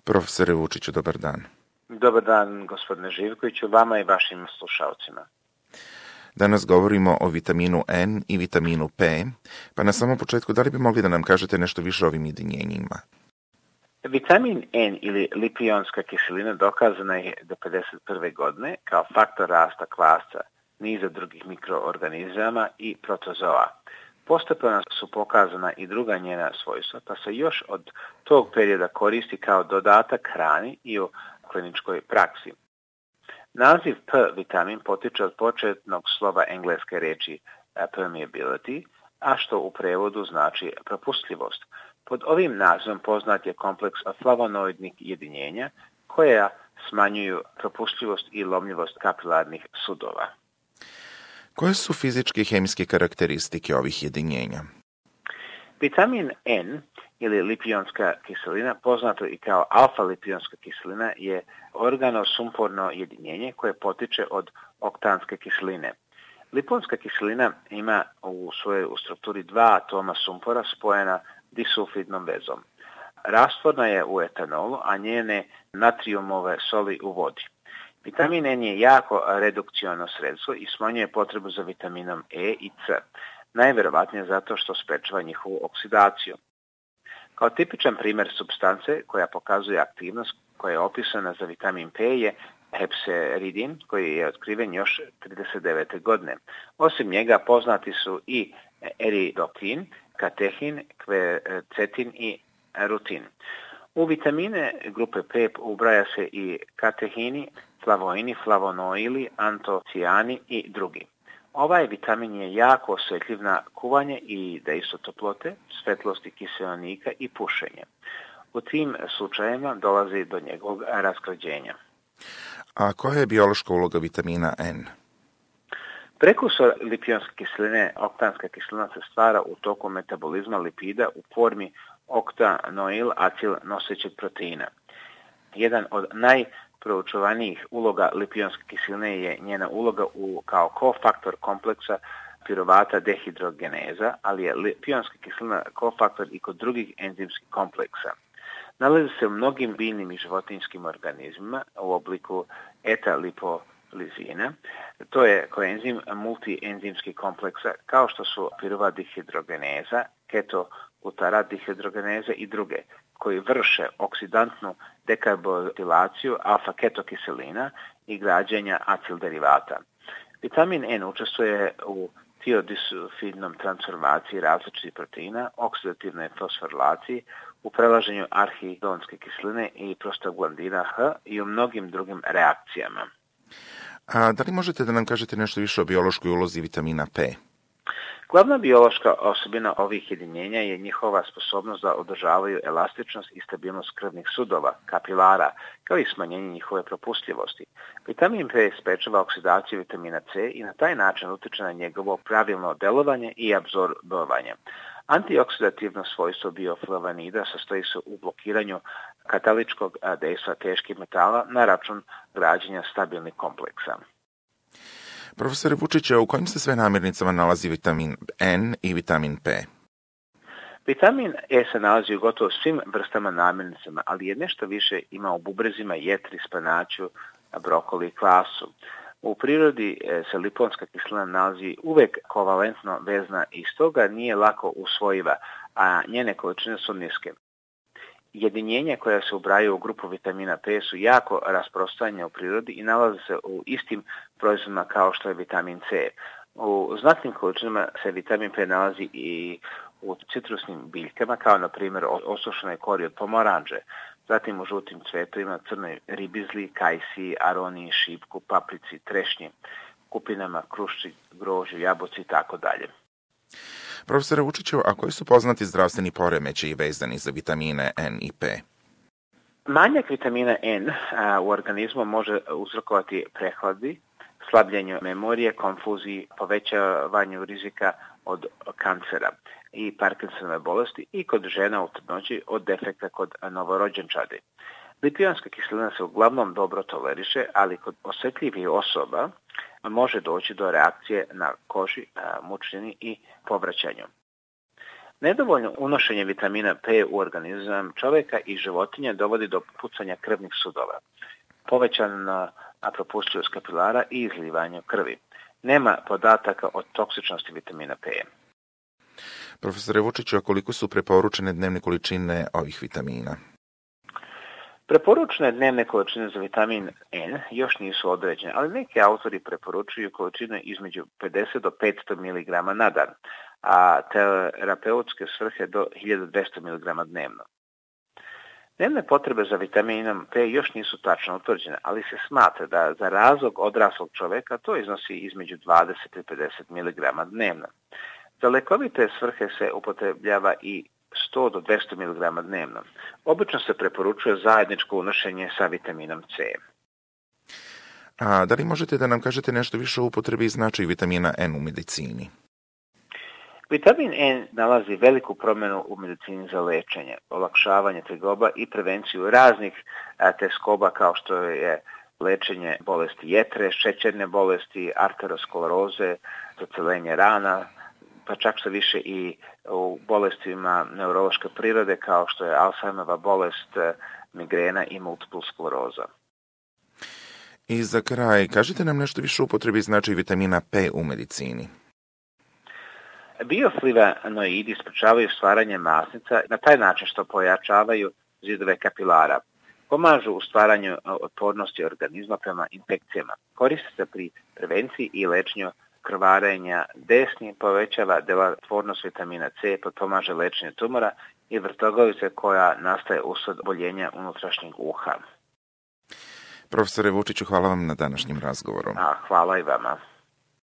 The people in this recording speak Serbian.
Profesore Vučiću, dobar dan. Dobar dan, gospodine Živkoviću, vama i vašim slušalcima. Danas govorimo o vitaminu N i vitaminu P, pa na samom početku da li bi mogli da nam kažete nešto više o ovim jedinjenjima? Vitamin N ili lipionska kiselina dokazana je do 1951. godine kao faktor rasta kvasca, niza drugih mikroorganizama i protozoa. Postepeno su pokazana i druga njena svojstva, pa se još od tog perioda koristi kao dodatak hrani i u kliničkoj praksi. Naziv P vitamin potiče od početnog slova engleske reči permeability, a što u prevodu znači propustljivost. Pod ovim nazivom poznat je kompleks flavonoidnih jedinjenja koja smanjuju propustljivost i lomljivost kapilarnih sudova. Koje su fizičke i hemijske karakteristike ovih jedinjenja? Vitamin N ili lipionska kiselina, poznato i kao alfa-lipionska kiselina, je organosumporno jedinjenje koje potiče od oktanske kiseline. Liponska kiselina ima u svojoj strukturi dva atoma sumpora spojena disulfidnom vezom. Rastvorna je u etanolu, a njene natrijumove soli u vodi. Vitamin N je jako redukciono sredstvo i smanjuje potrebu za vitaminom E i C, najverovatnije zato što sprečava njihovu oksidaciju. Kao tipičan primjer supstance koja pokazuje aktivnost koja je opisana za vitamin P je hepseridin, koji je otkriven još 1939. godine. Osim njega poznati su i eridoktin, katehin, kvercetin i rutin. U vitamine grupe P ubraja se i katehini, flavoini, flavonoili, antocijani i drugi. Ovaj vitamin je jako osjetljiv na kuvanje i dejstvo toplote, svetlosti kiseonika i pušenje. U tim slučajevima dolazi do njegovog raskrađenja. A koja je biološka uloga vitamina N? Prekursor lipionske kiseline, oktanska kiselina, se stvara u toku metabolizma lipida u formi oktanoil acil nosećeg proteina. Jedan od najproučavanijih uloga lipionske kiseline je njena uloga kao kofaktor kompleksa piruvata dehidrogeneza, ali je lipionska kiselina kofaktor i kod drugih enzimskih kompleksa. Nalazi se u mnogim biljnim i životinjskim organizmima u obliku eta-lipolizina. To je koenzim multienzimskih kompleksa kao što su piruvat dehidrogeneza, ketoglutarat dehidrogeneza i druge, koji vrše oksidantnu dekarboksilaciju alfa-ketokiselina i građenja acil derivata. Vitamin N učestvuje u tiodisulfidnom transformaciji različitih proteina, oksidativnoj fosforilaciji, u prelaženju arhidonske kiseline i prostaglandina H i u mnogim drugim reakcijama. A da li možete da nam kažete nešto više o biološkoj ulozi vitamina P? Glavna biološka osobina ovih jedinjenja je njihova sposobnost da održavaju elastičnost i stabilnost krvnih sudova, kapilara, kao i smanjenje njihove propustljivosti. Vitamin P sprečava oksidaciju vitamina C i na taj način utiče na njegovo pravilno delovanje i apsorbovanje. Antioksidativno svojstvo bioflavanida sastoji se u blokiranju kataličkog dejstva teških metala na račun građenja stabilnih kompleksa. Profesore Vučiću, u kojim se sve namirnicama nalazi vitamin N i vitamin P? Vitamin E se nalazi u gotovo svim vrstama namirnicama, ali je nešto više ima u bubrezima, jetri, spanaću, brokoli i kvasu. U prirodi se liponska kiselina nalazi uvek kovalentno vezna i stoga nije lako usvojiva, a njene količine su niske. Jedinjenja koja se ubrajaju u grupu vitamina P su jako rasprostranjena u prirodi i nalaze se u istim proizvodima kao što je vitamin C. U znatnim količinama se vitamin P nalazi i u citrusnim biljkama, kao na primjer osušenoj kori od pomoranđe, zatim u žutim cvetovima, crnoj ribizli, kajsiji, aroniji, šipku, paprici, trešnji, kupinama, krušci, grožđu, jabuci i tako dalje. Profesore Vučiću, a koji su poznati zdravstveni poremećaji vezani za vitamine N i P? Manjak vitamina N u organizmu može uzrokovati prehladi, slabljenju memorije, konfuziji, povećavanju rizika od kancera i Parkinsonove bolesti i kod žena u trudnoći od defekta kod novorođenčadi. Lipionska kiselina se uglavnom dobro toleriše, ali kod osjetljivih osoba može doći do reakcije na koži, mučnini i povraćanju. Nedovoljno unošenje vitamina P u organizam čovjeka i životinja dovodi do pucanja krvnih sudova, povećana propustljivost kapilara i izlivanje krvi. Nema podataka o toksičnosti vitamina P. Profesore Vučiću, a koliko su preporučene dnevne količine ovih vitamina? Preporučene dnevne količine za vitamin N još nisu određene, ali neki autori preporučuju količine između 50 do 500 mg na dan, a terapeutske svrhe do 1200 mg dnevno. Dnevne potrebe za vitaminom P još nisu tačno utvrđene, ali se smatra da za razlog odraslog čoveka to iznosi između 20 i 50 mg dnevno. Za lekovite svrhe se upotrebljava i 100 do 200 mg dnevno. Obično se preporučuje zajedničko unošenje sa vitaminom C. A da li možete da nam kažete nešto više o upotrebi i značaju vitamina N u medicini? Vitamin N nalazi veliku promjenu u medicini za lečenje, olakšavanje tegoba i prevenciju raznih teskoba kao što je lečenje bolesti jetre, šećerne bolesti, arterioskleroze, zacelenje rana, pa čak sve više i u bolestima neurološke prirode kao što je Alzheimerova bolest, migrena i multipla skleroza. I za kraj, kažite nam nešto više o upotrebi i značaju vitamina P u medicini. Bioflavonoidi sprečavaju stvaranje masnica na taj način što pojačavaju zidove kapilara. Pomažu u stvaranju otpornosti organizma prema infekcijama. Koriste se pri prevenciji i lečenju krvarenja desni, povećava delotvornost vitamina C, potpomaže lečenje tumora i vrtogovice koja nastaje usled oboljenja unutrašnjeg uha. Profesore Vučiću, hvala vam na današnjem razgovoru. Hvala i vama.